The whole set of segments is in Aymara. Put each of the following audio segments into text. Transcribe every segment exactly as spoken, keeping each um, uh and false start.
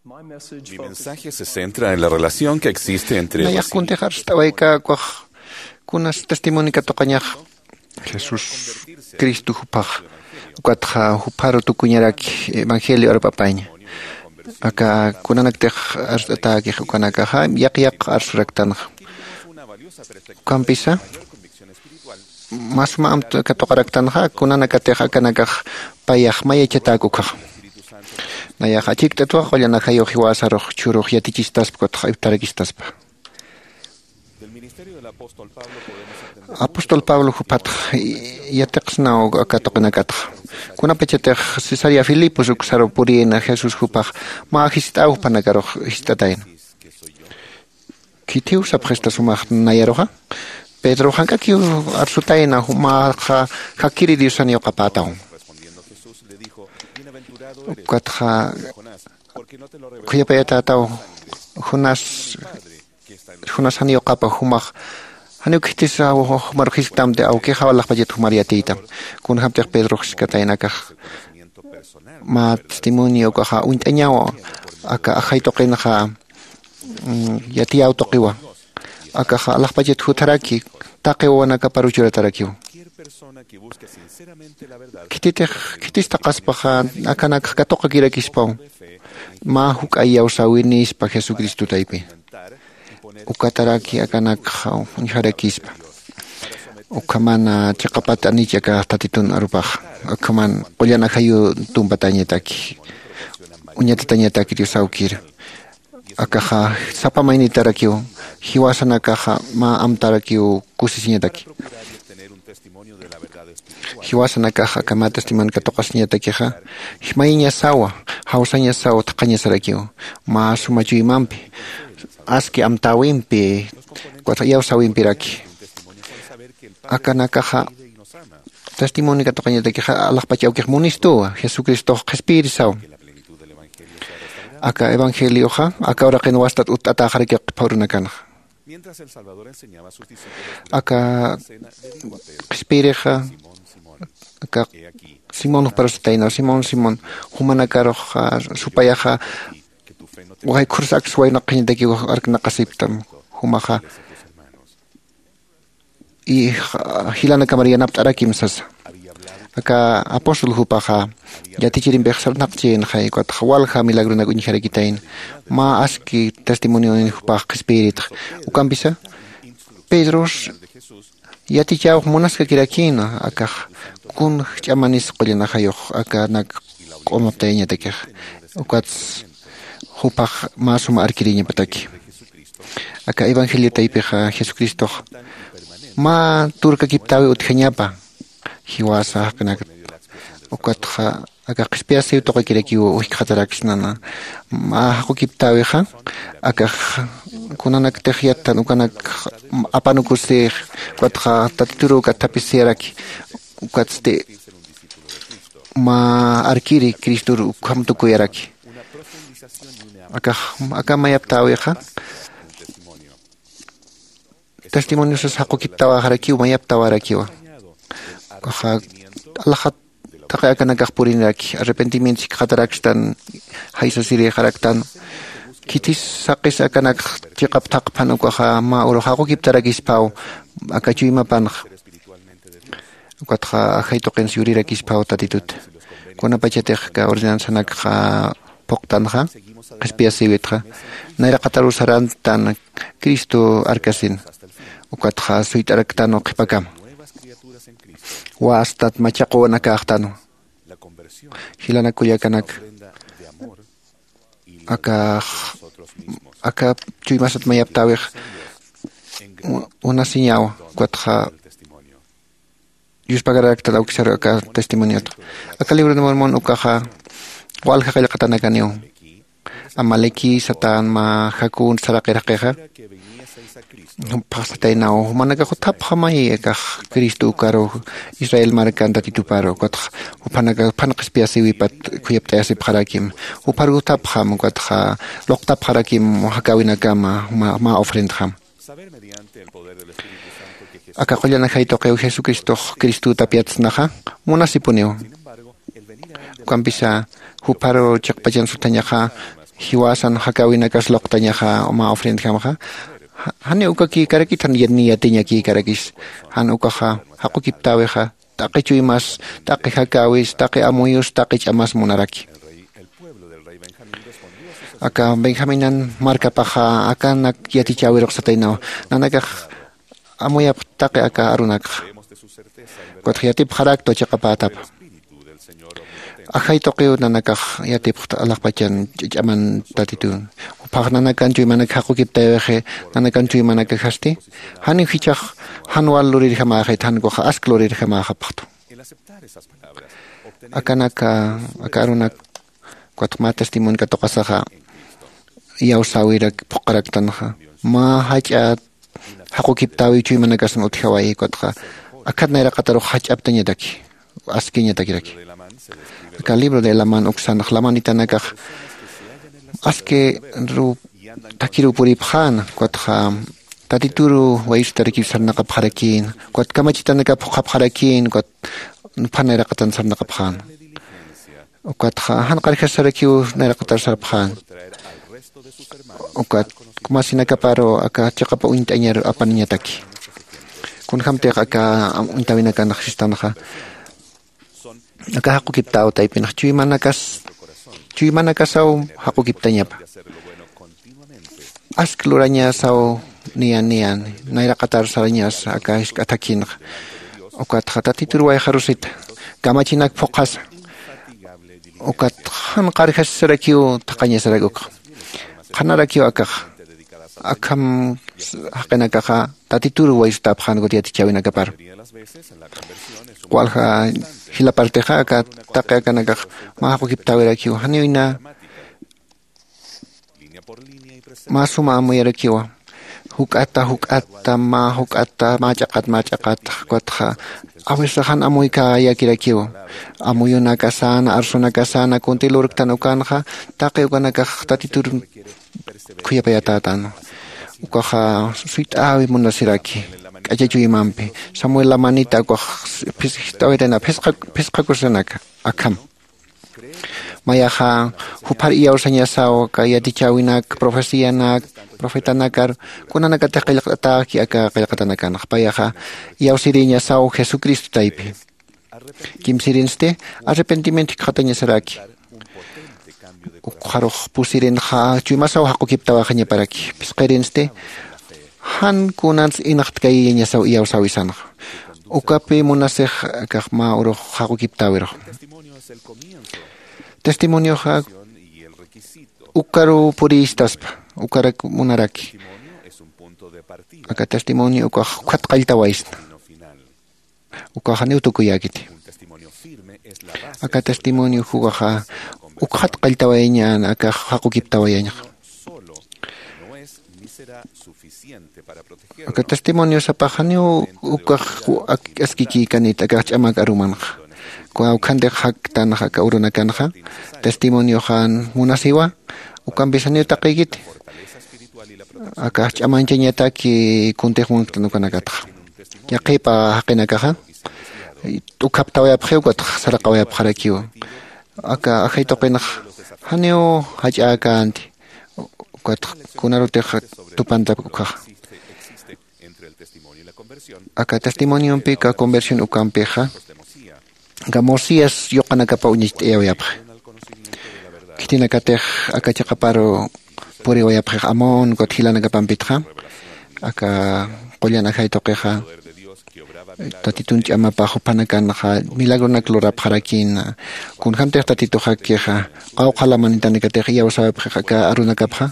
Mi mensaje se centra en la relación que existe entre nayax kuntix arst'awayka ukax kunas testimonio katuqañax. Jesús cristo juphax ukatxa jupharu tukuñaraki evangelio arpapaña. Aka kunanaktix arst'atäkix ukanakaxa yaq yaq arsuraktanxa. Ukampisa mä suma amta katuqaraktanxa kunanakatix akanakax payax mayachatäk ukhaxa. Nayax achikt'atwa qullan ajayu jiwasarux chhurux yatichistaspkutxa iptarakistaspa. Apóstol pablo juphatx yatiqsnaw aka tuqinakatxa. Kunapachatix cesarea filipos uksaru purïna jesús juphax mä jist'aw juphanakarux jist'atayna. Khithiw sapxista sumax nayaruxa? Pedro jank'akiw arsutayna jumaxa jakiri diosan yuqapätawan. Ukatxa khuyapayatätaw junas junas jan yuqapa jumax janiw khithisaw jumaru jisktamti awkixaw alaxpachat jumar yatiytam. Kunjämtix pedrox jiskataynakax mä testimonio ukaxa uñt'añaw aka ajay tuqinxa yatiyäw tuqiwa. Akaxa alaxpachat jutharaki taqi wawanakapar uchuratarakiw. Khititix khitistaqaspaxa akanakx katuqakirakispaw mä juk'a iyawsäwinispa jesucristo taypi. Ukataraki akanakxa uñjarakispa. Ukhamana chiqapat anich aka tatitun arupax ukhaman qullan ajayu tumpatañataki uñatatañataki dios awkir. Akaxa sapa maynitarakiw jiwasanakaxa mä amtarakiw kusisiñataki. Jiwasanakax aka mä testimonio katuqasiñatakixa mayñasawa jawsañasaw thaqhañasarakiw mä suma chuymampi aski amtäwimpi iyawsäwimpiraki. Akanakaxa testimonio katuqañatakixa alaxpach awkix munistuwa jesucristox qhispiyirisaw. Aka evangelioxa aka uraqin wastat utt'atäxarakiw qhipa urunakanxa. Aka qhispiyirixa aka simón juparusataynaw simón simón jumanakarux supayaxa waykhurus aksa waynaqañatakiw arknaqasiptam. Jumaxa y jilanakamar yanapt'arakim sasa. Aka apóstol jupaxa yatichirimpix sarnaqchïnxay ukatxa walja milagronak uñjarakitayna mä aski testimonionin jupax qhispiyiritxa. Ukampisa pedros yatichäwx munaskakirakïna akax kun ch'amanis qullan ajayux akanak q'umaptayañatakixa. Ukats jupax mä suma arkiriñapataki. Aka evangelio taypixa jesucristox mä turkakiptäwi utjañapa jiwasa jaqinakta. Ukatxa aka qhispiyasiw tuqikirakiw ujkxataraksnana mä jaqukiptäwixa akax kunanaktix yattan ukanak apanukusix ukatxa tatituru ukat thapisiyaraki. Ukatsti mä arkiri cristor ukham tukuyaraki. Akax aka mayaptäwixa testimoniosas jaqukiptawäxarakiw mayaptawarakiwa. Ukaxa alaxat taqi akanakax puriniraki arrepentimiento sikxatarakstan jaysasirixaraktan. Khitis saqis akanakx chiqap thaqphan ukaxa mä uru jaqukiptarakispaw aka chuymapanxa. Ukatxa ajay tuqins yurirakispaw tatitut kunapachatix aka ordenanzanakxa phuqtanxa qhispiyasïwitxa nayraqataru sarantan cristo arkasin. Ukatxa suyt'araktan uqhipakama wastat machaquwanakäxtanwa. Jilanakullakanaka akax aka chuymasat mayaptäwix unasiñawa. Ukatxa yuspagaraktan awkisar aka testimoniotxa aka libro de mormon ukaxa walja qillqatanakaniw. Amaleki satan mä jakun saraqirjaqixa phaxsataynaw jumanakax uthapxamay akax cristo ukaru israel markan tatituparu ukatxa juphanaka juphan qhispiyasiwipat khuyapt'ayasipxarakim. Jupharuk uthapxam ukatxa luqtapxarakim jakäwinakama mä ofrendjam. Aka qullan ajay tuqiw jesucristox cristütap yatsnaxa munasipuniw. Ukampisa jupharu chiqpachan suthañaxa jiwasan jakäwinakas luqtañaxa mä ofrendjamxa. Janiw ukakïkarakit jan yatiñakïkarakis. Jan ukaxa jaqukiptäwixa taqi chuymas, taqi jakäwis, taqi amuyus, taqi ch'amas munaraki. Aka benjaminan markapaxa akanak yatichäwirux sataynawa, nanakax amuyapxtaqi aka arunakxa. Ukatxa yatipxarakta chiqapätapa. Ajay tuqiw nanakax yatipxta alaxpachan ch'aman tatitun. Juphax nanakan chuymanak jaqukiptayawixi, nanakan chuymanakajasti janiw jichhax jan wal lurirjamäxit, jan ukaxa ask lurirjamäxapxtu. Akanaka aka arunak ukatxa mä testimonio katuqasaxa iyawsäwirak phuqharaktanxa, mä jach'a jaqukiptäwiw chuymanakasan utjawayi. Ukatxa akhat nayraqatarux jach'aptañataki, askiñatakiraki. Aka libro de laman uksanx lamanitanakax aski ru thakiruw puripxäna. Ukatxa tatituru wayusitarakiw sarnaqapxarakïna, ukat kamachitanakaw phuqhapxarakïna, ukat juphan nayraqatan sarnaqapxäna. Ukatxa jan qarjasarakiw nayraqatar sarpxäna. Ukat kumasinakaparu aka chiqapa uñt'añar apaniñataki. Kunjämtix aka uñtäwinakanx sistanxa aka jaqukiptäw taypinx chuymanakas, chuymanakasaw jaqukiptañapa. Ask lurañasaw niyan niyan nayraqatar sarañasa aka jisk'a thakhinxa. Ukatxa tatitur wayxarusita, kamachinak phuqhasa. Ukat jan qarjasisarakiw thaqhañasarak ukxa. Qhanarakiw akaxa. Akham jaqinakaxa tatitur waysutäpxän ukat yatichäwinakapar. Walja jila partixa aka taqi akanakax mä jaqukiptäwirakiw janiw ina mä suma amuyarakiwa. Juk'ata juk'ata mä juk'ata mä ch'aqat mä ch'aqat. Ukatxa a veces jan amuykäyakirakiwa. Amuyunakasäna arsunakasäna kuntï lurktan ukanxa taqi ukanakax tatitur khuyapayatätänwa. Ukaxa suyt'äwi munasiraki k'acha chuymampi. Samuel lamanita ukax phis- jist'awaytayna phisqa phisqakusanaka akham. Mayaxa juphar iyawsañasaw aka yatichäwinak profecianak profetanakar kunanakatix qillqt'atäki aka qillqatanakanxa payaxa iyawsirïñasaw jesucristo taypi. Kimsirinsti arrepentimiento jikxatañasaraki. Ukxarux pusirinxa chuymasaw jaqukiptawäxañaparaki phisqirinsti jan kunans inxtkayiyañasaw iyawsäwisanxa. Ukapi munasix akax mä urux jaqukiptäwirux. Testimonioxa ukaruw purïstaspa ukarak munaraki. Aka testimonio ukax ukxat qalltawaysna. Ukaxa niw tukuyäkiti. Aka testimonio jukaxa ukxat qalltawayañän akax jaqukiptawayañxa. Aka testimonio sapaxa niw ukax askikïkanit akax ch'amak arumanxa. Kawkhantix jaktanxa aka urunakanxa testimonioxan munasiwa. Ukampisa niw taqïkiti akax ch'amanchañataki kuntix munktan ukanakatxa. Yaqhipa jaqinakaxa t'ukhaptawayapxiw ukatx saraqawayapxarakiw. Aka ajay tuqinx janiw jach'äkänti. Ukatx kunarutix tupantap ukhaxa. Aka testimoniompi aka conversión ukampixa aka mosías yuqanakapa uñacht'ayawayapxi. Khitinakatix aka chiqaparu puriwayapxix amón ukat jilanakapampitxa aka qullan ajay tuqixa tatitun ch'amapax juphanakanxa milagronak lurapxarakïna. Kunjämtix tatituxakixa qawqha lamanitanakatix iyawsäwayapxix aka arunakapxa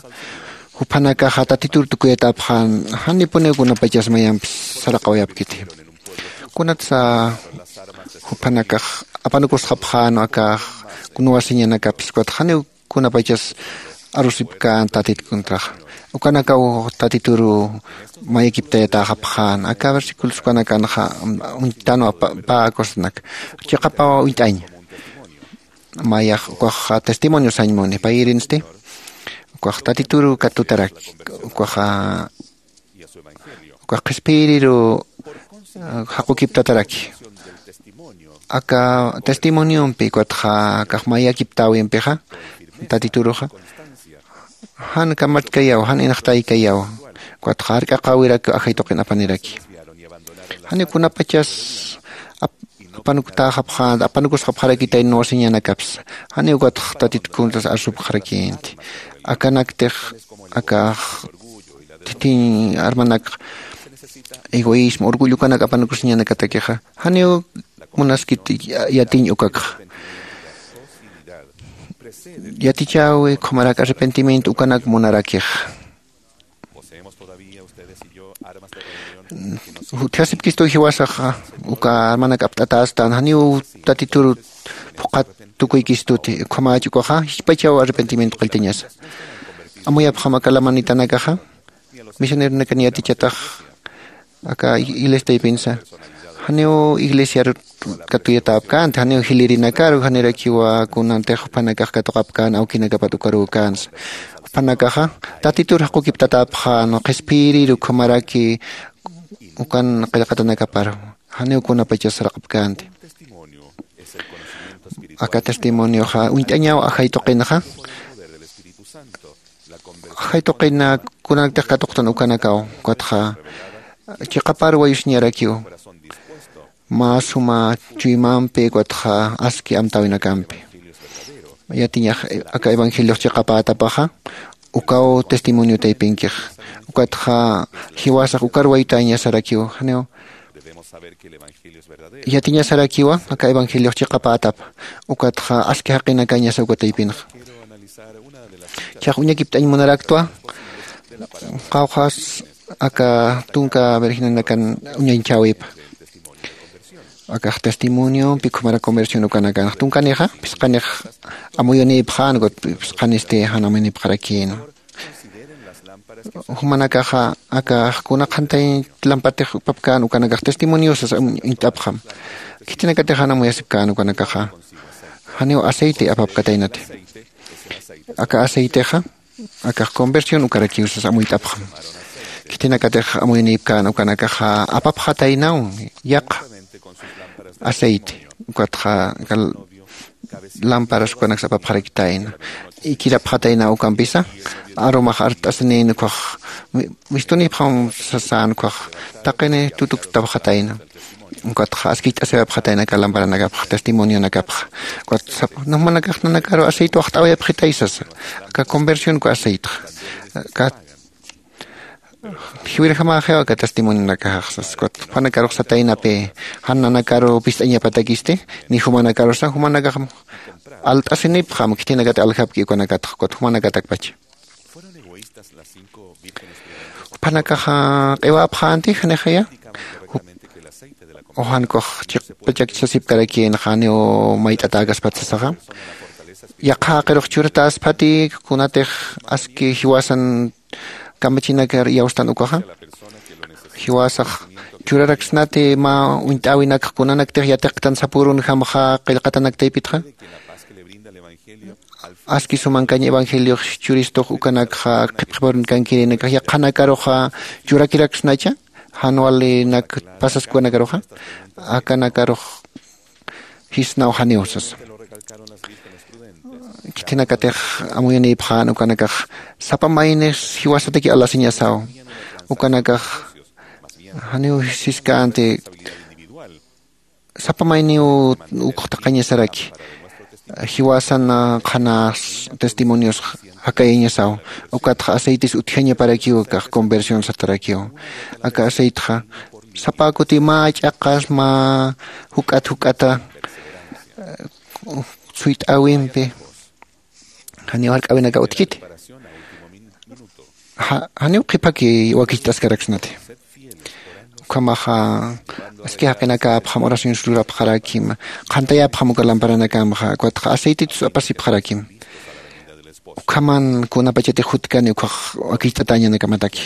juphanakaxa tatitur tukuyatäpxän janipuniw kunapachas mayampis saraqawayapkiti. Kunatsa juphanakax apanukusxapxän akax kunwasiñanakapis ukatxa janiw kunapachas arusipkän tatit contraxa. Ukanakaw tatituru mayakiptayatäxapxän aka versículos ukanakanxa uñtanwa pä acosanak chiqapaw uñt'aña. Mayax ukax testimonio sañ muni payïrinsti ukax tatituru katutaraki ukaxa ukax qhispiyiriru jaqukiptataraki. Aka testimoniompi ukatxa akax mayakiptäwimpixa tatituruxa Jan kamatkayaw, jan inxtaykayaw. Ukatxa jark'aqäwirak ajay tuqin apaniraki. Janiw kunapachas ap- apanuktäxapxänti, apanukusxapxarakitay nuwasiñanakapsa. Janiw ukatx tatit kuntas arsupxarakïnti. Akanaktix akax thithiñ armanak egoísmo orgullo ukanak apanukusiñanakatakixa, janiw munaskit yatiñ ukakxa. Yatichäwi ukhamarak arrepentimiento ukanak munarakix. Utjasipkistu jiwasaxa uka armanak apt'atästan, janiw tatitur phuqhat tukuykistuti ukhamach ukaxa jichpachaw arrepentimiento qalltañasa. Amuyapxam aka lamanitanakaxa, misioneronakan yatichatax aka iglesiataypinsa, janiw iglesiaru katuyatäpkänti, janiw jilïrinakaru janirakiwa kunantix juphanakax katuqapkän awkinakapat ukarükänsa. Juphanakaxa tatitur jaqukiptatäpxän qhispiyiriru ukhamaraki ukan qillqatanakaparu, janiw kunapachas saraqapkänti. Aka testimonioxa uñt'añaw ajay tuqinxa. Ajay tuqina kunanaktix katuqtan ukanakaw ukatxa chiqapar wayusiñarakiw mä suma chuymampi ukatxa aski amtäwinakampi. Yatiñax aka evangeliox chiqapätapaxa ukaw testimonio taypinkix. Ukatxa jiwasax ukar waytäñasarakiw, janiw yatiñasarakiwa aka evangeliox chiqapätapa. Ukatxa aski jaqinakañasa uka taypinxa. Chax uñakipt'añ munaraktwa qawqhas aka tunka virginanakan uñañchäwipa. Akax testimoniompi ukhamarak conversión ukanakanx tunkanixa phisqanix amuyunïpxän ukat phisqanisti jan amuyunïpxarakïnwa. Jumanakaxa akax kuna qhantay lampartix apapkän ukanakax testimoniosas uñt'apxam. Khitinakatix jan amuyasipkän ukanakaxa janiw aceite apapkataynati. Aka aceitexa akax conversión ukarakiw sas amuyt'apxam. Khitinakatix amuyunïpkän ukanakaxa apapxataynaw yaqha aceite ukatxa aka lámparas ukanaksa apapxarakitayna. Ikirapxataynaw ukampisa arumax art'asinïn ukkhax mistunïpxam sasän ukkhax taqini tutuktapxatayna. Ukatxa askicht'asiwayapxatayna aka lamparanakapxa testimonionakapxa. Ukat jumanakax nanakaru aceite waxt'awayapxitay sasa. Aka conversión uka aceitexa aka jiwirjamäxiw aka testimonionakaxsas ukat jupanakarux sataynapi jan nanakaru pist'añapatakisti ni jumanakarusa jumanakaxam alt'asinipxam khitinakat aljapki ukanakatxa ukat jumanakatakpacha. Jupanakaxa q'iwapxänti janixaya. Ujan ukax chiqpachakchasipkarakïnxa janiw mayt'atäkaspat sasaxa. Yaqha jaqirux churatäspati kunatix aski jiwasan kamachinakar iyawstan ukaxa jiwasax churaraksnati mä uñt'äwinakx kunanaktix yatiqtan sapürunjamxa qillqatanak taypitxa. Aski sumankañ evangeliox churistux ukanakxa qhipqhiparunkankirïnakax yaqhanakaruxa churakiraksnacha jan walinak pasaskwanakaruxa akanakarux jisnaw janiw sasa. Khitinakatix amuyunïpxän ukanakax sapa maynis jiwasataki alasiñasaw. Ukanakax janiw siskänti sapa mayniw ukxtaqañasaraki jiwasan qhana testimonios jakayañasaw. Ukatxa aceites utjañaparakiw akax conversión satarakiw. Aka aceitexa sapa kuti mä ch'aqas mä juk'at juk'ata suyt'äwimpi janiw jark'äwinakaw utjkiti. Janiw qhiphaki wakicht'askaraksnati. Ukhamaxa aski jaqinakäpxam oraciones lurapxarakim qhantayapxam uka lamparanakamxa ukatxa aceititus apasipxarakim. Ukhaman kunapachatix jutkani ukkhax wakicht'atäñanakamataki.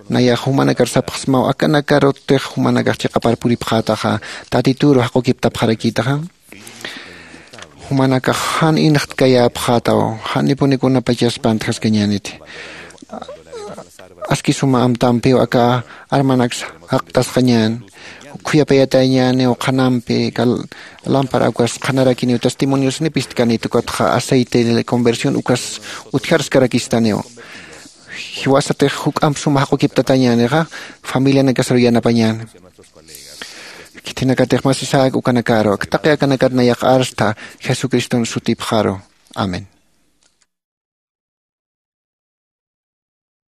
Nayax jumanakar sapxsmaw akanakarutix jumanakax chiqapar puripxätaxa tatituru jaqukiptapxarakïtaxa. Jumanakax jan inxtkayäpxätaw janipuni kunapachas pantjaskañäniti. Aski suma amtampiw aka armanaksa jaqtasxañän. khuyapayatañäniw qhanampi. Lámpara ukas qhanarakiniw testimoniosnipistkanit ukatxa aceite de conversión ukas utjarskarakistaniw. Jiwasatix juk'amp suma jaq'ukiptatañänixa familianakasaru yanapañäni. Khithinakatix masisäk ukanakaru ak taqi akanakat nayax arstha jesucriston sutipxaru. Amén.